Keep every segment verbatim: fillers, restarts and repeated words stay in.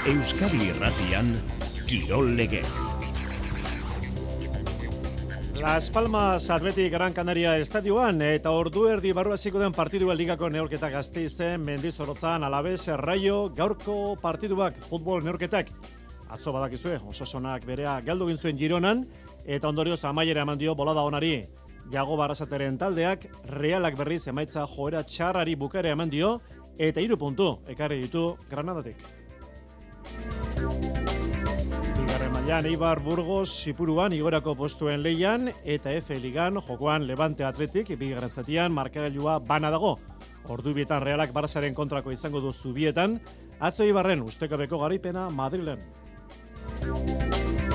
Euskadi Irratian, Kirol Legez. Las Palmas Athletic Gran Canaria estadioan eta ordu erdi barru hasiko den partidua ligako neurketa Gasteizen Mendizorrotzan Alaves Raio gaurko partiduak futbol neurketak. Atzo badakizue, Osasonak berea galdu egin zuen Gironan eta ondorioz amaiera eman dio bolada onari. Jago Barrasateren taldeak Realak berriz emaitza joera txarrari bukare eman dio eta hiru puntu ekarri ditu Granadatik. Bigarren mailan Eibar Burgos Sipuruan igorako postuen leian eta F Ligan jokoan Levante Athletic bigarren zatian markagailua bana dago. Ordubietan Realak Barçaren kontrako izango du Zubietan, atzo Eibarren ustekabeko garaipena Madrilen.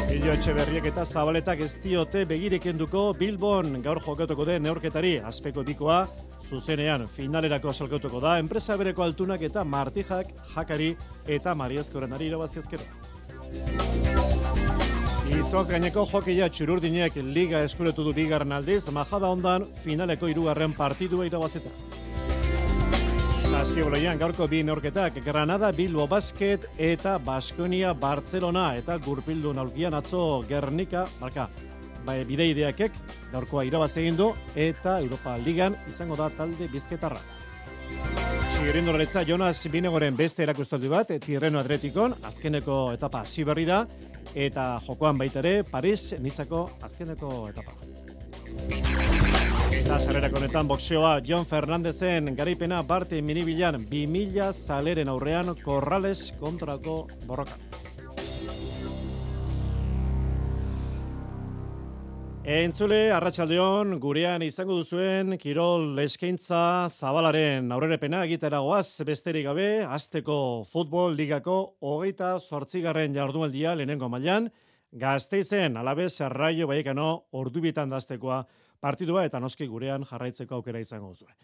Illo Etxeberriek eta Zabaletak ez diote begireken duko Bilbon gaur jokatuko den neurketari azpeko bikoa zuzenean finalerako salkatuko da enpresa bereko altunak eta Martijak, Jakari eta Mariazkorenari irabaziazkero. Izoaz gaineko jokeia Txururdinek liga eskuretu du bigarren aldiz, Majada ondan finaleko hirugarren partidua irabazita. Saskiboloian gaurko bi neurketak Granada, Bilbo Basket eta Baskonia Barcelona eta gurpildu aulkian atzo Gernika, marka, bai bideideakek gaurkoa irabaz egin du eta Europa Ligan izango da talde bizketarra. Txirrindoletza Jonas Binegoren beste erakustaldi bat Tirreno Atletikon azkeneko etapa hasi berri da eta jokoan baita ere Paris Nizako azkeneko etapa. Eta sarrerako honetan boxeoa Jon Fernandezen garaipena Barte Minibilan bi mila zaleren aurrean Corrales kontrako borroka. Entzule, arratsaldeon, gurean izango duzuen Kirol eskaintza Zabalaren aurrerapena egitera goaz besterik gabe, hasteko futbol ligako hogeita zortzigarren jardunaldia lehenengo mailan, Gasteizen Alaves Raio Vallecano ordubietan daztekoa partidua eta noski gurean jarraitzeko aukera izango duzue.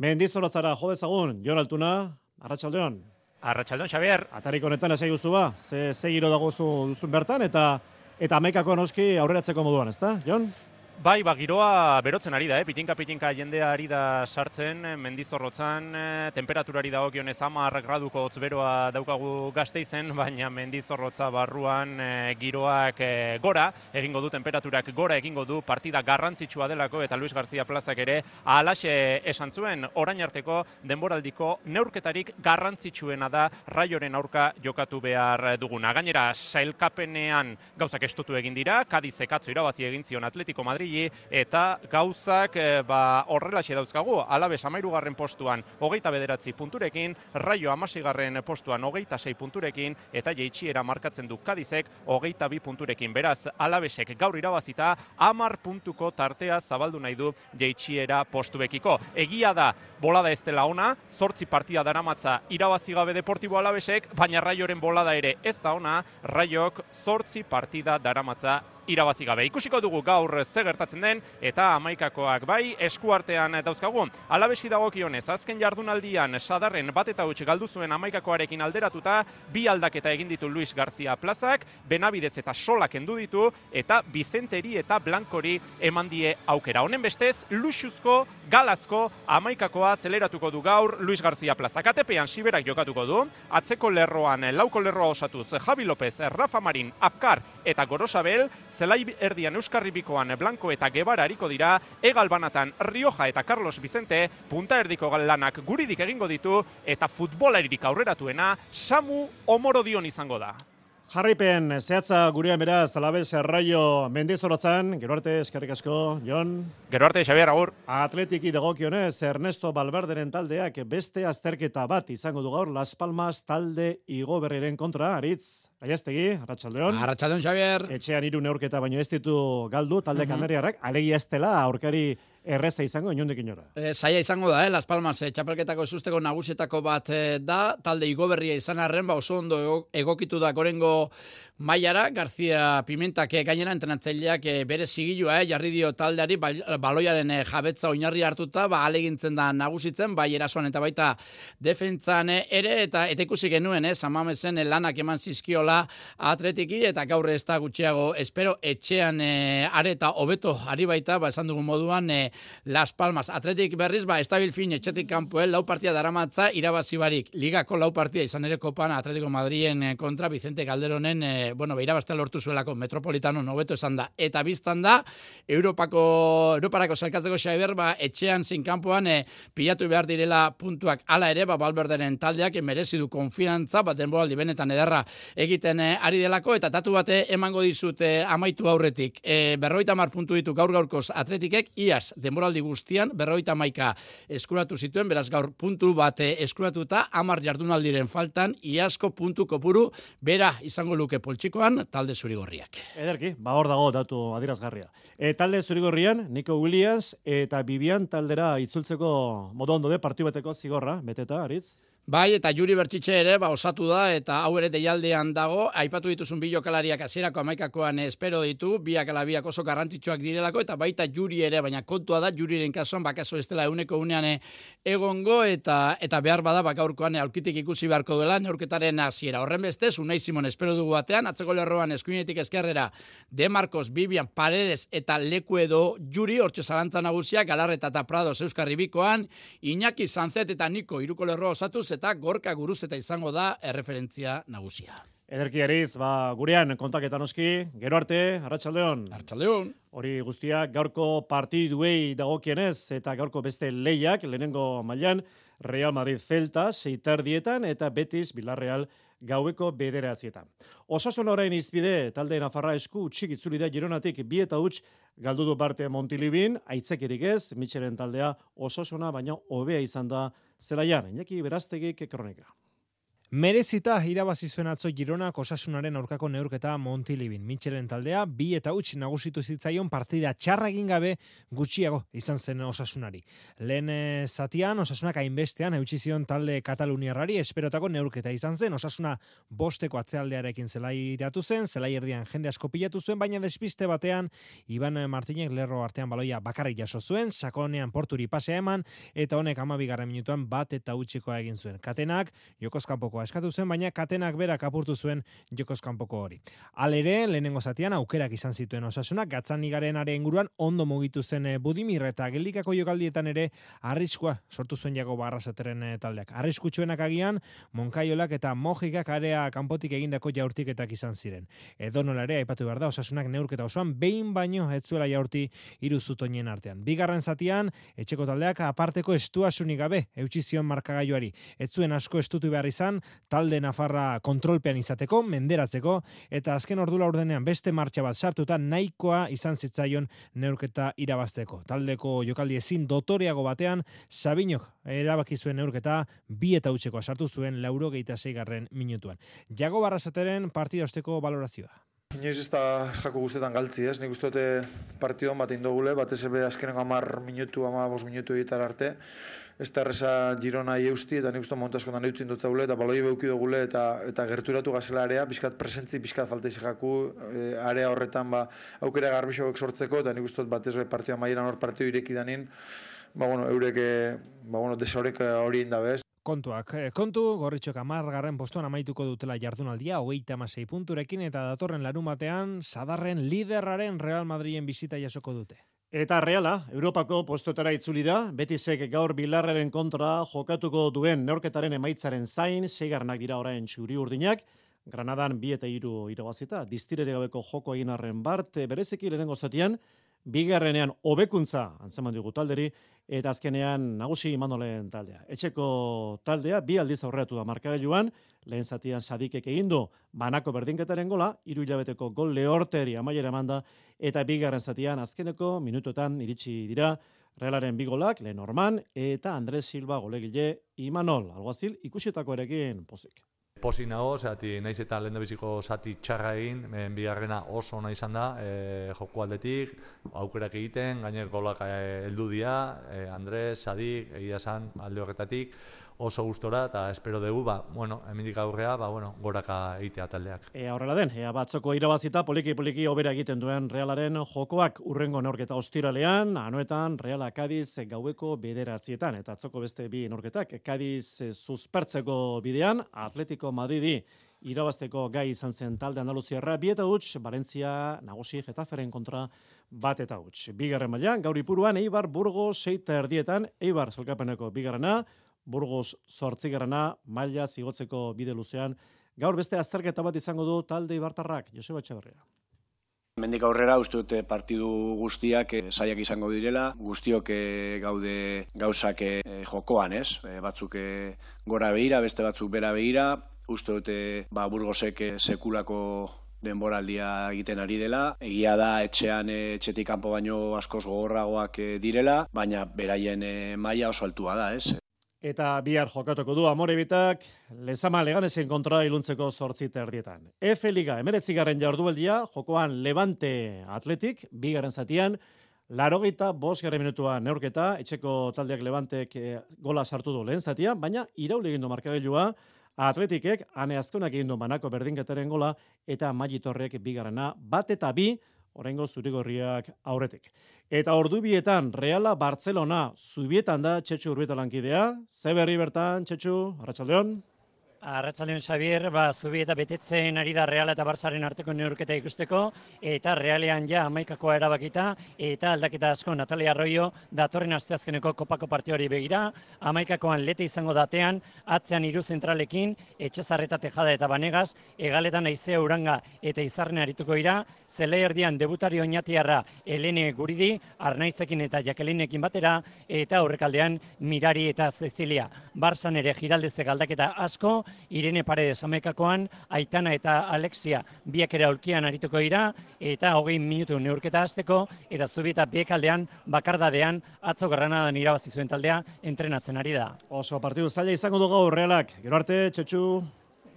Mendizorrotzara jo dezagun, Jon Altuna, arratsaldeon. Arratsaldeon, Xabier. Atarik honetan esai guzu ba, ze, ze giro dago duzun bertan eta Eta hamaikako noski aurreratzeko moduan, ezta, Jon? Bai, ba, giroa berotzen ari da, eh? pitinka-pitinka jendea ari da sartzen, Mendizorrotzan, temperaturari dagokionez hamar graduko hotz beroa daukagu Gasteizen, baina Mendizorrotza barruan e, giroak e, gora, egingo du temperaturak gora egingo du, partida garrantzitsua delako, eta Luis García Plazak ere alaxe esan zuen, orain arteko denboraldiko neurketarik garrantzitsuena da Raioren aurka jokatu behar duguna. Gainera, sailkapenean gauzak estutu egin dira, Kadizek atzo irabazi egin zion Atletico Madrid, eta gauzak e, ba, horrelaxe dauzkagu, Alaves hamahirugarren postuan hogeita bederatzi punturekin, Raio hamaseigarren postuan hogeita sei punturekin, eta jeitsiera markatzen du Kadizek hogeita bi punturekin. Beraz, Alavesek gaur irabazita hamar puntuko tartea zabaldu nahi du jeitsiera postuekiko. Egia da, bolada ez dela ona, zortzi partida daramatza irabazi gabe Deportibo Alavesek, baina Raioren bolada ere ez da ona, Raiok zortzi partida daramatza irabazi gabe. Ikusiko dugu gaur ze gertatzen den eta hamaikakoak bai eskuartean dauzkagu. Alavesi dagokionez, azken jardunaldian Sadarren bat eta huts galdu zuen hamaikakoarekin alderatuta, bi aldaketa egin ditu Luis García Plazak, Benavidez eta Solak kendu ditu eta Vicenteri eta Blankori eman die aukera. Honen bestez, luxuzko, galazko hamaikakoa zeleratuko du gaur Luis García Plazak. Atepean Siberak jokatuko du, atzeko lerroan lauko lerroa osatuz Javi López, Rafa Marin, Afkar eta Gorosabel, zelai erdian Euskarri bikoan Blanco eta Guevara ariko dira, Egal banatan Rioja eta Carlos Vicente, punta erdiko lanak guridik egingo ditu, eta futbolaririk aurreratuena Samu Omorodion izango da. Jarraipen zehatza gurean beraz Alaves Raio Mendizorrotzan, gero arte eskerrik asko, Jon. Gero arte, Xabier, agur. Atletiki dagokionez Ernesto Valverderen taldeak beste azterketa bat izango du gaur Las Palmas talde Igoberriren kontra, Aritz. Gaiaztegi, arratsaldeon. Arratsaldeon, Xabier. Etxean hiru neurketa baino ez ditu galdu talde kanariarrak, alegia ez dela aurkari erreza izango inondik inora. E, zaila izango da, eh? Las Palmas e, txapelketako esusteko nagusietako bat e, da, talde Igoberria izan arren, ba oso ondo egokitu da gorengo mailara, García Pimentak e, gainera entrenatzaileak e, bere zigilua, eh? jarri dio taldeari, ba, baloiaren e, jabetza oinarri hartuta, ba alegintzen da nagusitzen, bai erasoan eta baita defentsan ere, eta eta ikusi genuen, eh? Samamesen lanak eman zizkiola Atletiki, eta gaur ez da gutxiago espero etxean e, are eta hobeto ari baita, ba esan dugun moduan, e, Las Palmas. Atletik berriz, ba, estabil fin etxetik kanpoen lau partia daramatza irabazi barik. Ligako lau partia izan ere kopan Atletico Madriden kontra Vicente Calderonen, eh, bueno, beirabaztea lortu zuelako Metropolitano nobeto esan da. Eta biztan da, Europako, Europarako zelkatzeko xaiber, ba, etxean zein kanpoan eh, pilatu behar direla puntuak ala ere, ba, Valverderen taldeak merezi du konfiantza, bat denboraldi benetan ederra egiten eh, ari delako, eta tatu bate emango dizut eh, amaitu aurretik. Eh, berroita mar puntu ditu gaur gaurkoz Atletikek, iaz, denboraldi guztian, berroita maika eskuratu zituen, beraz gaur puntu bat eh, eskuratuta, amar jardunaldiren faltan, iazko puntu kopuru, bera izango luke poltsikoan, talde zurigorriak. Ederki, ba hor dago datu adirazgarria. E, talde zurigorrian, Nico Williams eta Bibian taldera itzultzeko modu ondo de partiu bateko zigorra, beteta, Aritz? Bai, eta Juri Bertxitxe ere, ba, osatu da, eta hau ere deialdean dago, aipatu dituzun bi jokalariak hasierako hamaikakoan espero ditu, biak ala biak oso garrantzitsuak direlako, eta baita Juri ere, baina kontua da, Juriren kasuan, bakaso ez dela euneko unean egongo, eta eta behar bada, bakaurkoan aurkitik ikusi beharko dela, neurketaren hasiera. Horren bestez, Unai Simon espero dugu batean, atzeko lerroan eskuinetik eskerrera, De Marcos, Bibian, Paredes, eta Leku edo Juri, hortxe zalantza nagusiak, Galarreta eta Prados Euskarri bikoan, Iñaki Sanzet eta Niko iruko lerroa osatuz, eta Gorka Guruzeta izango da erreferentzia nagusia. Ederki Ariz, ba, gurean kontaketan oski, gero arte, Arratsaldeon. Arratsaldeon. Hori guztia gaurko partiduei dagokienez eta gaurko beste lehiak, lehenengo mailan Real Madrid Celta, seiterdietan eta Betis Villarreal gaueko bederatzietan. Osasun orain izbide, talde Nafarra esku utxik itzuli da Gironatik bi eta huts galdu du parte Montilibin, aitzakirik ez, Mitxelen taldea osasuna baino hobea izan da zelaian. Iñaki Beraztegik kronika. Merezita irabazi zuen atzo Gironak Osasunaren aurkako neurketa Montilibin. Mitxelen taldea bi eta huts nagusitu zitzaion partida txarra egin gabe gutxiago izan zen Osasunari. Lehen zatian Osasunak hainbestean eutsi zion talde kataluniarrari esperotako neurketa izan zen. Osasuna bosteko atzealdearekin zelairatu zen, zelaierdian jende asko pilatu zuen, baina despiste batean Iban Martinek lerro artean baloia bakarrik jaso zuen, sakonean porturi pasea eman eta honek hamabigarren minutuan bat eta hutsikoa egin zuen. Katenak jokoz kanpoko eskatu zen, baina Katenak berak apurtu zuen jokoz kanpoko hori. Halere, lehenengo zatian aukerak izan zituen Osasunak, Gatzanigarenaren inguruan ondo mugitu zen Budimir eta geldikako jokaldietan ere arriskua sortu zuen Jago Barrasateren taldeak. Arriskutsuenak agian Moncaiolak eta Mojikak area kanpotik egindako jaurtiketak izan ziren. Edonola ere aipatu behar da Osasunak neurketa osoan behin baino ez zuela jaurti hiru zutoinen artean. Bigarren zatian etxeko taldeak aparteko estuasunik gabe eutsi zion markagailuari. Ez zuen asko estutu behar izan talde Nafarra kontrolpean izateko, menderatzeko, eta azken ordu laurdenean beste martxa bat sartuta nahikoa izan zitzaion neurketa irabazteko. Taldeko jokaldi ezin dotoreago batean, Sabinok erabaki zuen neurketa bi eta hutsekoa sartu zuen laurogeita seigarren minutuan. Jago Barrasateren partida osteko balorazioa. Inoiz ez da eskako guztetan galtzi, ez? Nik uste dute partidon bat indogule, batez ebe azkeneko hamar minutu, hamar bost minutu egitar arte. Ez da erreza Girona eusti, eta nik uste montaskotan eutzin dut zaule, eta baloi beuki dugule, eta, eta gerturatu gazela area, pixkat presentzi, pixkat falta izaku, e, area horretan ba, aukera garbixoak sortzeko, eta nik uste dut batez be partidua maieran hor partidu ireki danin, ba, bueno, eurek, ba, bueno, desaurek hori indabez. Kontuak, kontu, Gorritxok hamargarren postuan amaituko dutela jardunaldia, hogeita hamasei punturekin, eta datorren larun batean, sadarren liderraren Real Madriden bizita jasoko dute. Eta Reala, Europako postotara itzuli da, Betisek gaur Bilarraren kontra jokatuko duen neurketaren emaitzaren zain, seigarrenak dira orain txuri urdinak, Granadan bi eta hiru irabazita, diztirere gabeko joko egin arren bart, bereziki lehenengo zatian, bigarrenean hobekuntza antzeman dugu talderi, eta azkenean nagusi Imanolen taldea. Etxeko taldea bi aldiz aurreatu da markagailuan, lehen zatian Sadikek egin du banako berdinketaren gola, hiru hilabeteko gol lehorteri amaiera emanda, eta bigarren zatian azkeneko minutuetan iritsi dira Realaren bi golak, lehen Orman, eta Andres Silva golegile Imanol, alguazil ikusietako erekin pozik. Pozik nago, zehati naiz eta lehen biziko zati txarra egin, bigarrena oso ona izan da, e, joko aldetik, aukerak egiten, gainer golak heldu dira, e, Andres, Sadik, egia esan alde horretatik, oso gustora eta espero dugu, ba, bueno, hemendik aurrea, ba, bueno, goraka egitea taldeak. E, horrela den, ea batzoko irabazita poliki-poliki hobera egiten duen Realaren jokoak urrengo neurketa ostiralean, anoetan Reala Kadiz gaueko bederatzietan, eta atzoko beste bi neurketak, Kadiz suspertzeko bidean, Atletico Madridi irabazteko gai izan zen talde andaluziarra, bi eta huts, Valencia nagusi Getaferen kontra bat eta huts. Bigarren mailan, gaur Ipuruan, Eibar Burgos seita erdietan, Eibar sailkapeneko bigarrena, Burgos zortzigarrena, maila zigotzeko bide luzean. Gaur beste azterketa bat izango du talde Ibartarrak, Joseba Etxeberria. Mendik aurrera uste dute partidu guztiak eh, saiak izango direla, guztiok eh, gaude gauzak eh, jokoan, ez? Eh, batzuk eh, gora behira, beste batzuk bera behira, uste dute ba, Burgosek eh, sekulako denboraldia egiten ari dela. Egia da etxean eh, etxetik kanpo baino askoz gogorragoak eh, direla, baina beraien eh, maila oso altua da, ez? Eta bihar jokatuko du Amorebitak, Lezama Leganesen kontra iluntzeko zortzi erdietan. F Liga, emeretzigarren jardunaldia, jokoan Levante Atletik, bigarren zatian, larogeita bosgarren minutuan neurketa, etxeko taldeak Levantek e, gola sartu du lehen zatian, baina irauli egin du markagailua, Atletikek, ane azkonak egin du banako berdinketaren gola, eta Magitorrek bigarrena, bat eta bi, oraingo zurigorriak aurretik. Eta ordubietan Reala Barcelona zubietan da Txetxu Urbieta lankidea. Ze berri bertan, Txetxu, Arratsaldeon. Arratsaldeon Xabier, ba, Zubieta betetzen ari da Real eta Barsaren arteko neurketa ikusteko, eta Realean ja hamaikakoa erabakita, eta aldaketa asko Natalia Arroyo datorren asteazkeneko kopako partioari begira, hamaikakoan lete izango datean, atzean hiru zentralekin, Etxezarreta Tejada eta Banegas, egaletan Aizea Uranga eta Izarren arituko dira, zelai erdian debutari oinatiarra Elene Guridi, Arnaizekin eta Jakelinekin batera, eta aurrekaldean Mirari eta Cecilia. Barsan ere giraldezek aldaketa asko, Irene Paredes hamaikakoan, Aitana eta Alexia biak ere aulkian arituko dira, eta hogei minutu neurketa hasteko, eta Zubieta biekaldean, bakardadean, atzo Granadan irabazi zuen taldea, entrenatzen ari da. Oso partidu zaila izango du gaur Realak. Gero arte, Txetxu.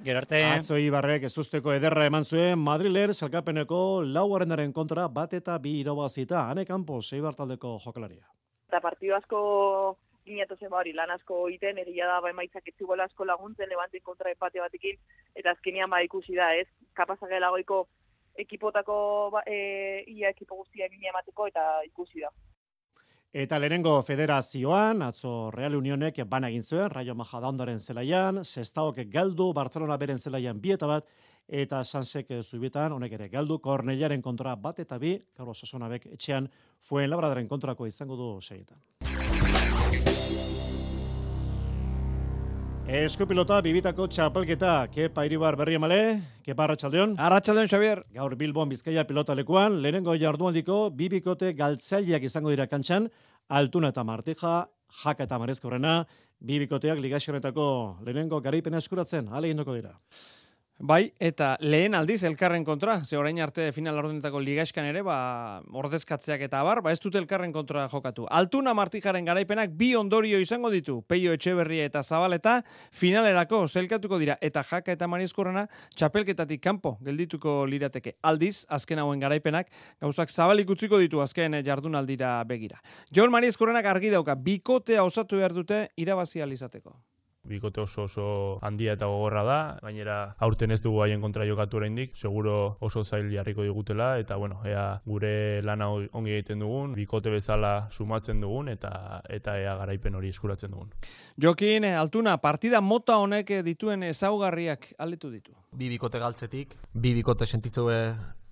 Gero arte. Atzo Ibarrek ez usteko ederra eman zuen, Madriler salkapeneko laugarrenaren kontra bat eta bi irabazita, Ane Campos, Eibar taldeko jokalaria. Eta partidu asko ginatu zen hori, lan asko egiten, egia da ba emaitzak etzigoela asko laguntzen, Levanten kontra empate batekin, eta azkenean ba ikusi da, ez? Kapazak elagoiko ekipotako, ba, e, ia ekipo guztia egin emateko, eta ikusi da. Eta lehenengo federazioan, atzo Real Unionek bana egin zuen, Rayo Majadahondaren zelaian, Sestaok galdu, Barcelona beren zelaian bi eta bat, eta Sansek Zubietan, honek ere galdu, Kornellaren kontra bat eta bi, Carlos Sasonabek etxean, Fuenlabradaren kontrako izango du seietan. Eskupilota bibitako txapelketa, Kepa Iribar berri emale, Kepa Arratsaldeon. Arratsaldeon, Xabier. Gaur Bilbon Bizkaia pilota lekuan, lehenengo jardunaldiko bibikote galtzaileak izango dira kantxan, Altuna eta Martija, Jaka eta Marezkorrena, bibikoteak ligaxionetako lehenengo garaipena eskuratzen, ale indoko dira. Bai, eta lehen aldiz elkarren kontra, ze orain arte final ordenetako ligaxkan ere, ba, ordezkatzeak eta abar, ba ez dute elkarren kontra jokatu. Altuna Martijaren garaipenak bi ondorio izango ditu, Peio Etxeberria eta Zabaleta finalerako zelkatuko dira, eta Jaka eta Mariezkorrena txapelketatik kanpo geldituko lirateke. Aldiz, azken hauen garaipenak, gauzak zabalik utziko ditu azken jardunaldira begira. Jon Mariezkorrenak argi dauka, bikotea osatu behar dute irabazi alizateko. Bikote oso oso handia eta gogorra da, gainera aurten ez dugu haien kontra jokatu oraindik, seguro oso zail jarriko digutela, eta bueno, ea gure lana ongi egiten dugun, bikote bezala sumatzen dugun, eta eta ea garaipen hori eskuratzen dugun. Jokin, Altuna, partida mota honek dituen ezaugarriak aldetu ditu. Bi bikote galtzetik, bi bikote sentitzu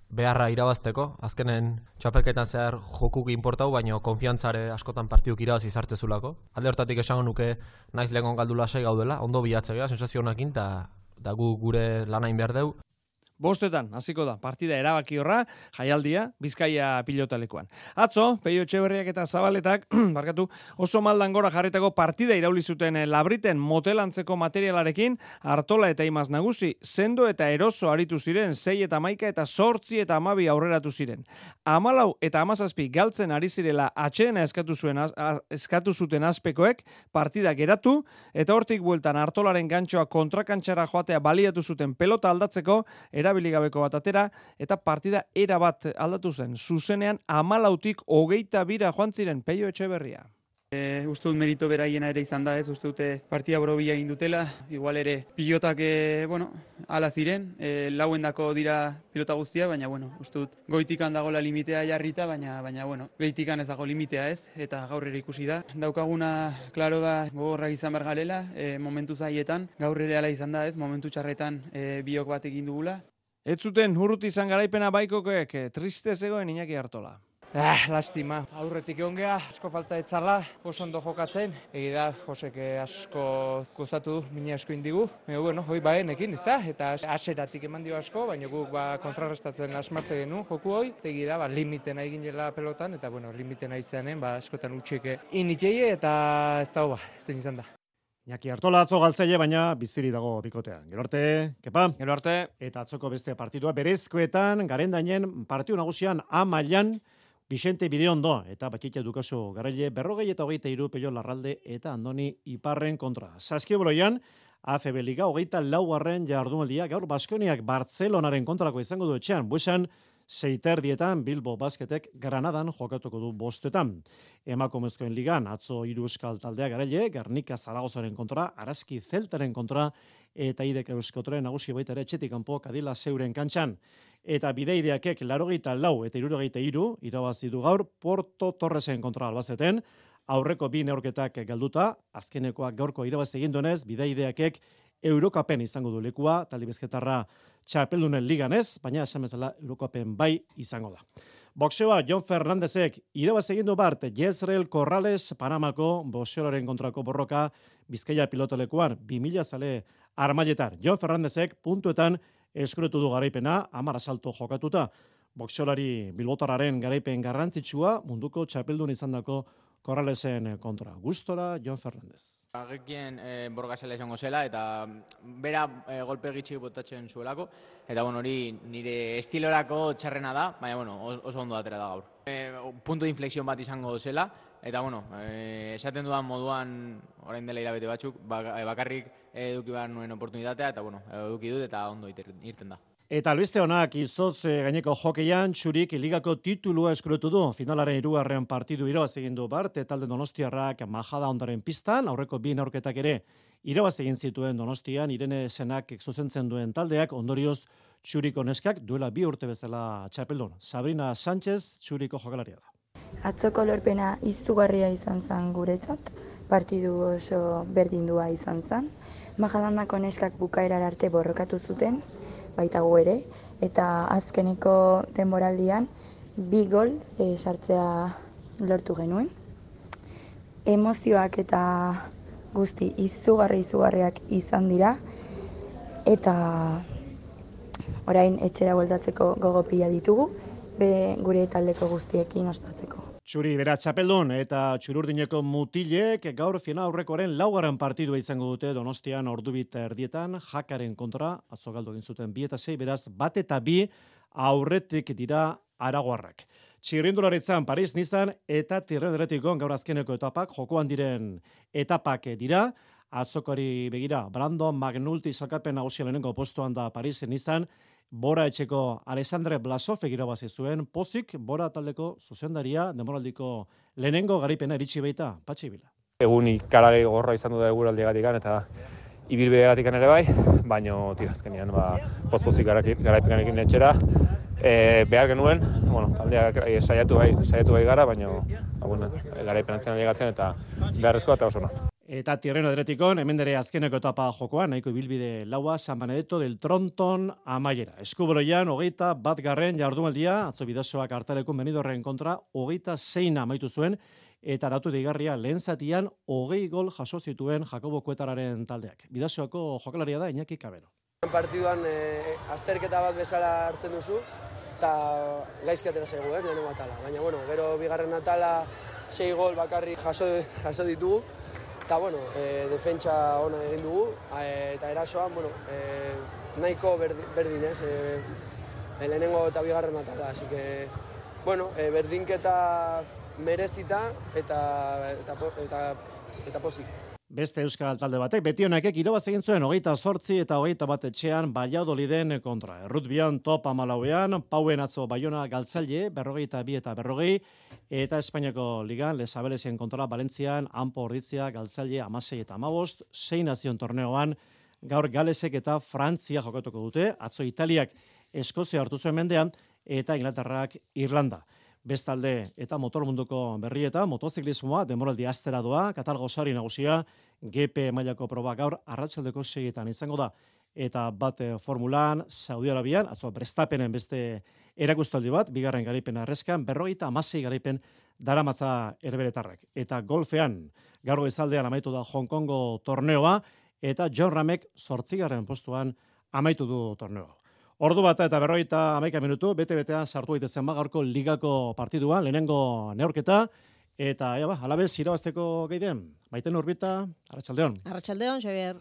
beharra irabazteko, azkenen txapelketan zehar jokuk inportau, baina konfiantzare askotan partiduk irabazi zartezulako. Alde hortatik esango nuke naiz lehengon galdu lasai gaudela, ondo bilatzea, sensazio honekin, eta gu gure lanain behar deu. Bostetan, hasiko da, partida erabaki horra, jaialdia, Bizkaia pilotalekuan. Atzo, Peio Etxeberriak eta Zabaletak, barkatu, oso maldan gora jarritako partida irauli zuten Labriten motelantzeko materialarekin, Artola eta Imaz Nagusi, sendo eta eroso aritu ziren, sei eta maika eta sortzi eta amabi aurreratu ziren. Amalau eta amazazpi galtzen ari zirela atxeena eskatu, zuen, az, eskatu zuten azpekoek, partida geratu, eta hortik bueltan Artolaren gantxoa kontrakantxara joatea baliatu zuten pelota aldatzeko, erabiligabeko bat atera, eta partida era bat aldatu zen. Zuzenean amalautik hogeita bira joan ziren Peio Etxeberria. E, uste dut merito beraiena ere izan da, ez, uste dute partida borobila egin dutela, igual ere pilotak, e, bueno, ala ziren, e, lauendako dira pilota guztia, baina, bueno, uste dut goitikan dagoela limitea jarrita, baina, baina, bueno, beitikan ez dago limitea ez, eta gaur ere ikusi da. Daukaguna, klaro da, gogorrak izan behar garela, e, momentu zaietan, gaur ere ala izan da ez, momentu txarretan e, biok bat egin dugula. Ez zuten urruti izan garaipena baikokoek, triste zegoen Iñaki Artola. Ah, lastima. Aurretik egon geha, asko falta etzala, oso ondo jokatzen. Egi da, Josek asko gozatu du, mini asko indigu. Ego, bueno, hoi baenekin, ez da? Eta aseratik eman dio asko, baina guk ba, kontrarrestatzen asmatze genu joku hoi. Egi da, ba, limitena egin jela pelotan, eta bueno, limitena izanen, ba, askotan utxeke initzeie, eta ez da, ba, zen izan da. Iñaki Artola atzo galtzaile, baina biziri dago bikotean. Gero arte, kepa. Gero arte. Eta atzoko beste partidua berezkoetan, Garendainen partidu nagusian A mailan Vicente Bideondo eta Batxitia Dukaso Garaile berrogei eta hogeita hiru Pello Larralde eta Andoni Iparren kontra. Saskiboloian A F B Liga hogeita laugarren jardunaldia gaur Baskoniak Bartzelonaren kontrako izango du etxean. Buesan seiterdietan Bilbo Basketek Granadan jokatuko du bostetan. Emakumezkoen ligan atzo hiru euskal taldea Garaile, Gernika Zaragozaren kontra, Araski Zeltaren kontra eta Idek Euskotren nagusi baita ere etxetik kanpo Kadila Zeuren kantxan. Eta bideideakek larogeita lau eta hirurogeita hiru irabazi du gaur Porto Torresen kontra Albazeten, aurreko bi neurketak galduta, azkenekoak gaurko irabazi egin duenez, bideideakek Eurokapen izango du lekua, talde bizketarra txapeldunen ligan ez, baina esan bezala Eurokapen bai izango da. Boxeoa Jon Fernandezek irabazi egin du bart Jezreel Corrales Panamako boxeolaren kontrako borroka Bizkaia pilotolekuan bi mila zale armailetar. Jon Fernandezek puntuetan eskuretu du garaipena, hamar asalto jokatuta. Boxeolari bilbotarraren garaipen garrantzitsua munduko txapeldun izandako Corralesen kontra. Gustora Jon Fernandez. Agekien e, borgasela izango zela eta bera e, golpe gitxik botatzen zuelako. Eta bueno, hori nire estilorako txarrena da, baina bueno, oso ondo atera da gaur. E, punto de inflexión bat izango zela. Eta bueno, e, esaten dudan moduan orain dela hilabete batzuk, bakarrik eduki behar nuen oportunitatea, eta bueno, eduki dut eta ondo irten da. Eta albiste honak izoz gaineko jokeian, Txurik ligako titulua eskuretu du. Finalaren hirugarren partidu irabazi egin du bart, talde donostiarrak Majada Ondaren pistan, aurreko bi neurketak ere irabazi egin zituen Donostian, Irene Senak zuzentzen duen taldeak, ondorioz Txuriko neskak duela bi urte bezala txapeldun. Sabrina Sánchez, Txuriko jokalaria da. Atzoko lorpena izugarria izan zen guretzat, partidu oso berdindua izan zen. Majadandako neskak bukaerar arte borrokatu zuten, baita gu ere, eta azkeneko denboraldian bi gol e, sartzea lortu genuen. Emozioak eta guzti izugarri izugarriak izan dira, eta orain etxera bueltatzeko gogo pila ditugu, be gure taldeko guztiekin ospatzeko. Txuri beraz txapeldun eta Txururdineko mutilek gaur final aurrekoaren laugarren partidua izango dute Donostian ordubit erdietan, Jakaren kontra, atzo galdu egin zuten bi eta sei, beraz bat eta bi aurretik dira aragoarrak. Txirrindularitzan Paris Nizan eta Tirrendretikon gaur azkeneko etapak, jokoan diren etapak dira, atzokari begira, Brandon McNulty sailkapen nagusia lehenengo postuan da Paris Nizan, Bora etxeko Alexandre Blasov irabazi zuen, pozik Bora taldeko zuzendaria demoraldiko lehenengo garipena iritsi baita, Patxi Bila. Egun ikaragi gorra izan du da eguraldiagatik eta ibilbideagatik ere bai, baino tirazkenean ba, poz-pozik garaipenarekin etxera. E, behar genuen, bueno, taldeak saiatu bai, saiatu bai gara, baino ba, bueno, garaipenatzen alegatzen eta beharrezkoa eta oso na. Eta Tirreno Adretikon, hemen dere azkeneko etapa jokoa, nahiko ibilbide laua, San Benedetto del Tronton amaiera. Eskubaloian, hogeita bat garren jardunaldia, atzo bidasoak hartalekun Benidorren kontra, hogeita zeina amaitu zuen, eta datu digarria lehen zatian, hogei gol jaso zituen Jakobo Kuetararen taldeak. Bidasoako jokalaria da Iñaki Kabero. Partiduan e, azterketa bat bezala hartzen duzu, eta gaizki atera zaigu, ez, lehenengo atala. Baina, bueno, gero bigarren atala sei gol bakarrik jaso, jaso ditugu, eta, bueno, e, defentsa ona egin dugu, e, eta erasoan, bueno, e, nahiko berdin, berdin ez, e, lehenengo eta bigarren atala, así que, bueno, e, berdinketa merezita eta, eta, eta, eta pozik. beste euskal talde batek, betionakek irabaz egin zuen hogeita zortzi eta hogeita bat etxean Valladoliden kontra. Errutbian top amalauean, pauen atzo Baiona galtzaile, berrogeita bi eta berrogei, eta Espainiako ligan Lesabelesien kontra Valentzian, Anpo Orditzia galtzaile amasei eta amabost, sei nazion torneoan, gaur Galesek eta Frantzia jokatuko dute, atzo Italiak Eskozia hartu zuen mendean, eta Inglaterrak Irlanda. Bestalde eta motormunduko berrieta, motoziklismoa, demoraldi astera doa, Katalgo sari nagusia, G P mailako proba gaur arratsaldeko seietan izango da. Eta bat formulan, Saudi Arabian, atzo Verstappenen beste erakustaldi bat, bigarren garaipena erreskan, berrogeita hamasei garaipen daramatza erberetarrak. Eta golfean, gaur goizaldean amaitu da Hong Kongo torneoa, eta John Ramek zortzigarren postuan amaitu du torneoa. Ordu bata eta berrogeita hamaika minutu, bete-betean sartu daitezen gaurko ligako partiduan, lehenengo neurketa, eta ja ba, alabez irabazteko geiden. Maiten Urbita, arratsaldeon. Arratsaldeon, Xavier.